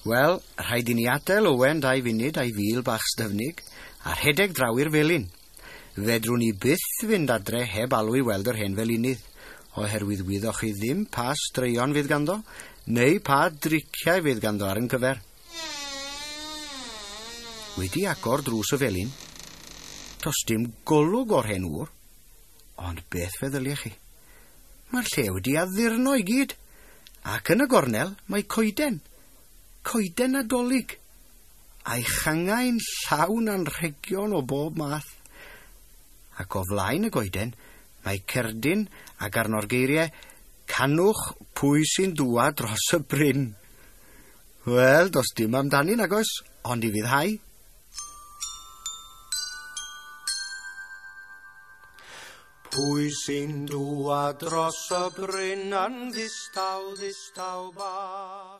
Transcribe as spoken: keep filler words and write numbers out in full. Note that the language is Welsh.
Wel, rhaid i ni adael Owen dau funud a'i fil bach styfnig a rhedeg draw i'r felin. Fedrwn ni byth fynd adre heb alw i weld yr hen felinydd, oherwydd wyddoch chi ddim pa straeon fydd ganddo, neu pa driciau fydd ganddo ar yn cyfer. Wedi agor drws y felin, does dim golwg o'r hen ŵr, ond beth feddyliech chi? Mae'r lle wedi addurno i gyd, ac yn y gornel mae coeden, coeden Nadolig, a'i changau'n llawn anrhegion o bob math. Ac o flaen y goeden mae cerdyn ac arno'r geiriau "Canwch pwy sy'n dŵad dros y bryn". Wel, does dim amdani nag oes, ond i fuddhau. Pwy sy'n dŵad dros y bryn yn ddistaw, ddistaw bach?